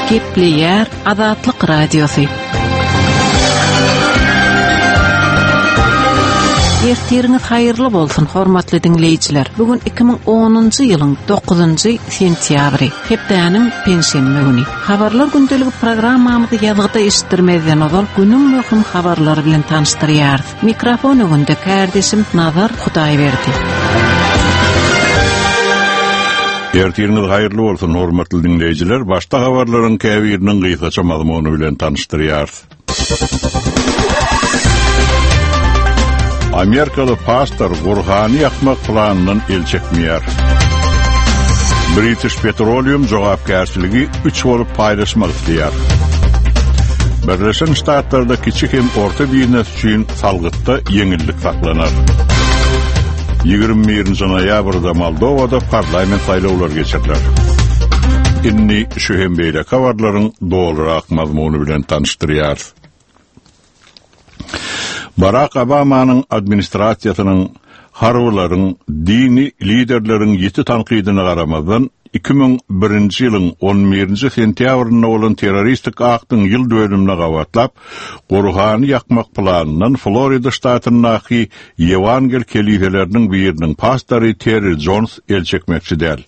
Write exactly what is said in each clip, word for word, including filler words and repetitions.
Gepleýär Azatlyk Radiosy. Ertiriňiz haýyrly bolsun, hormatly diňleýjiler. Bu gün iki müň onunjy ýylyň dokuzynjy sentýabry, hepdäniň penşenbe güni. Habarlar gündeligi programmamyzy ýazgyda eşitdirmezden ozal günüň möhüm habarlary bilen tanyşdyrýarys. Mikrofon öňünde kärdeşim Nazar Hudaýberdi. Ertiriňiz haýyrly bolsun, hormatly diňleýjiler. Başda habarlaryň käbiriniň gysgaça mazmuny bilen tanyşdyrýarys. Amerikaly pastor Gurhany ýakmak planyndan el çekmeýär. British Petroleum jogapkärçiligi üç bolup paýlaşmak isleýär. Birleşen Ştatlarda kiçi hem orta biznes üçin salgytda ýeňillik saklanar. Ýigrimi birinji noýabrda Moldowada parlament saýlawlary geçiriler. Indi şu hem beýleki habarlaryň dolurak mazmuny bilen tanyşdyrýarys. Barack Obamanyň administrasiýasynyň harbylaryň, dini liderleriň ýiti tankydyna garamazdan iki müň birinji ýylyň on birinji sentýabrynda bolan terroristik aktyň ýyl dönümine gabatlap, Gurhany ýakmak planyndan Florida ştatyndaky Ýewangel keliseleriniň biriniň pastory Terry Jones el çekmekçi däl.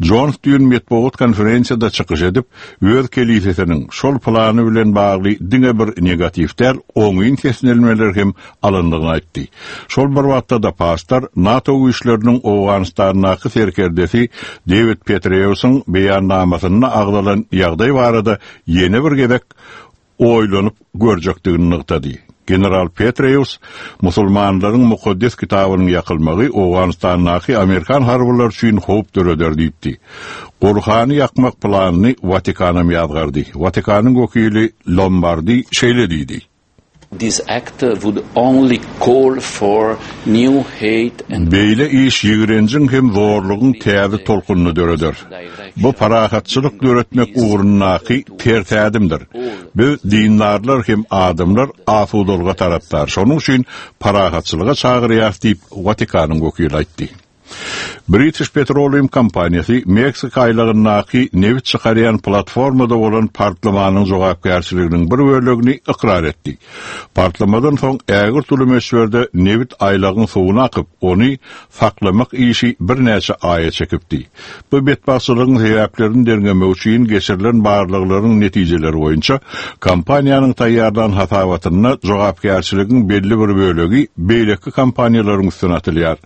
Jones düýn metbugat konferensiýada çykyş edip, öz kelisesiniň şol plany bilen bagly diňe bir negatiw däl, oňyn seslenmeler hem alyndygyny aýtdy. Şol bir wagtda da pastor NATO güýçleriniň Owganystandaky serkerdesi David Petraeus'un beýannamasynda agzalan ýagdaý barada ýene bir gezek oýlanyp görjekdigini nygtady. General Petraeus musulmanlaryň mukaddes kitabynyň ýakylmagy Owganystandaky Amerikan harbylar üçin howp döreder diýipdi. Gurhany ýakmak planyny Watikanam ýazgardy. Watikanyň wekili Lombardi şeýle diýdi. This act would only call for new hate and Beýle iş ýigrenjiň hem zorlugyň täze tolkunyny döreder. Bu parahatçylyk döretmek ugrundaky ters ädimdir. Biz dindarlar hem adamlar asudalyga tarapdar. Şonuň üçin parahatçylyga çagyrýarys diýip Watikanyň wekili aýtdy. British Petroleum kompaniýasy Meksika aýlagyndaky nebit çykarýan platformada bolan partlamanyň jogapkärçiliginiň bir bölegini ykrar etdi. Partlamadan soň ägirt uly möçberde nebit aýlagyň suwuna akyp, ony saklamak işi birnäçe aýa çekipdi. Bu betbagtçylygyň sebäplerini derňemek üçin geçirilen barlaglaryň netijeleri boýunça kompaniýanyň taýýarlan hasabatynda jogapkärçiligiň belli bir bölegi beýleki kompaniýalaryň üstüne atylýar.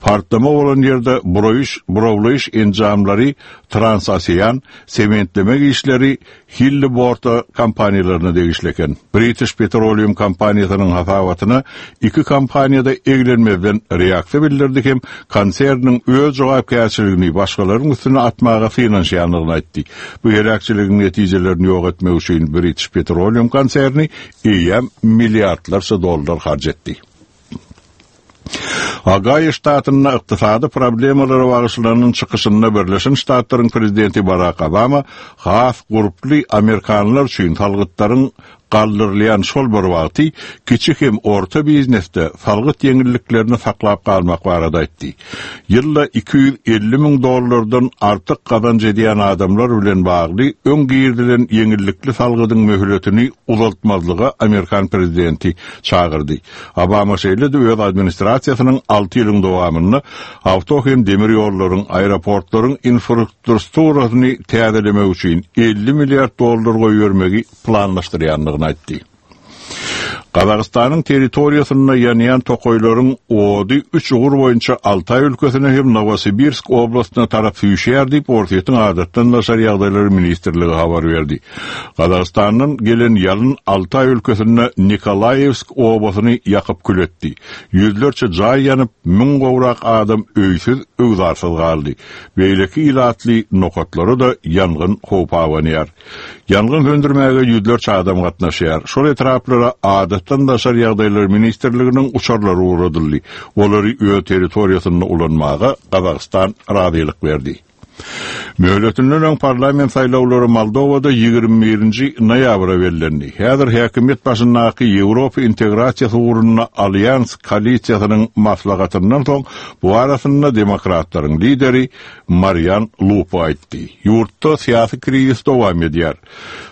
Partlama bolan ýerde burawlaýyş, burawlaýyş enjamlary Transocean, sementleme işleri Hilliborta kompaniýalaryna degişli eken. British Petroleum kompaniýasynyň hasabatyna iki kompaniýada eglenmezden reaksiýa bildirdi hem konserniň öz jogapkärçiligini başgalaryň üstüne atmaga synanyşýandygyny aýtdy. Bu heläkçiligiň netijelerini ýok etmek üçin British Petroleum konserni eýýäm milliardlarça dollar harç etdi. Agaýa ştatynda ykdysady problemalara bagyşlanan çykyşynda Birleşen Ştatlaryň prezidenti Barack Obama has gurply Amerikanlar üçin salgytlaryň galdyrylýan şol bir wagty kiçi hem orta biznesde salgyt ýeňilliklerini saklap galmak barada aýtdy. Ýylda iki ýüz elli müň dollardan artyk gazanç edýän adamlar bilen bagly öň girizilen ýeňillikli salgydyň möhletini uzaltmazlyga Amerikan prezidenti çagyrdy. Obama şeýle-de öz administrasiýasynyň alty ýylyň dowamynda awto hem demir ýollaryň, aeroportlaryň infrastrukturasyny täzelemek üçin elli milliard dollar goýbermegi planlaşdyrýandygyny aýtdy. Gazagystanyň territoriýasynda ýanýan tokaýlaryň ody üç ugur boýunça Altaý ülkesine hem Novosibirsk oblastyna tarap süýşýär diýip Orsýetiň adatdan daşary ýagdaýlar ministrligi habar berdi. Gazagystandan gelen ýalyn Altaý ülkesinde Nikolaýewsk obasyny ýakyp kül etdi. Ýüzlerçe jaý ýanyp, müň gowrak adam öýsüz, öwzarsyz galdy. Beýleki ilatly nokatlara da ýangyn howp abanýar. Ýangyn söndürmäge ýüzlerçe adam gatnaşýar. Şol etraplara adatdan daşary ýagdaýlar ministrliginiň uçarlary ugradyldy. Olary öz territoriýasynda ulanmaga Gazagystan razylyk berdi. Möhletinden öň parlament saýlawlary Moldowada ýigrimi birinji noýabra bellendi. Häzir häkimiýet başyndaky Ýewropa integrasiýasy ugrunda Alýans koalisiýasynyň maslahatyndan soň bu arasynda demokratlaryň lideri Marian Lupo aýtdy. Ýurtda syýasy krizis dowam edýär.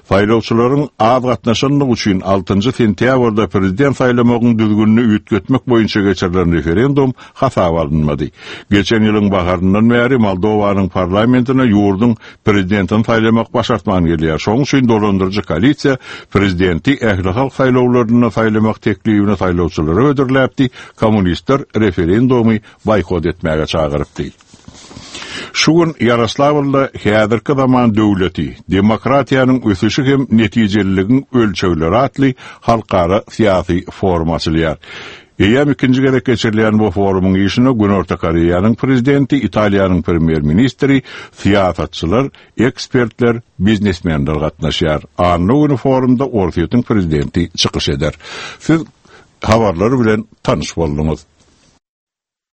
Saýlawçylaryň az gatnaşanlygy üçin altynjy sentýabrda prezident saýlamagyň düzgünini üýtgetmek boýunça geçirilen referendum hasaba alynmady. Geçen ýylyň baharyndan bäri Moldowanyň parlamentine ýurduň prezidentini saýlamak başartman gelýär. Şonuň üçin dolandyryjy koalisiýa prezidenti ähli halk saýlawlarynda saýlamak teklibini saýlawçylara hödürläpdi, kommunistler referendumy boýkot etmäge çagyrypdy. Şu gün Ýaroslawlda häzirki zaman döwleti, demokratiýanyň ösüşi hem netijeliligiň ölçegleri atly halkara syýasy forum açylýar. Eýýäm ikinji gezek geçirilýän bu forumyň işine Günorta Koreýanyň prezidenti, Italiýanyň premýer-ministri, syýasatçylar, ekspertler, biznesmenler gatnaşýar. Anna güni forumda Orsýetiň prezidenti çykyş eder. Siz habarlar bilen tanyş bolduňyz.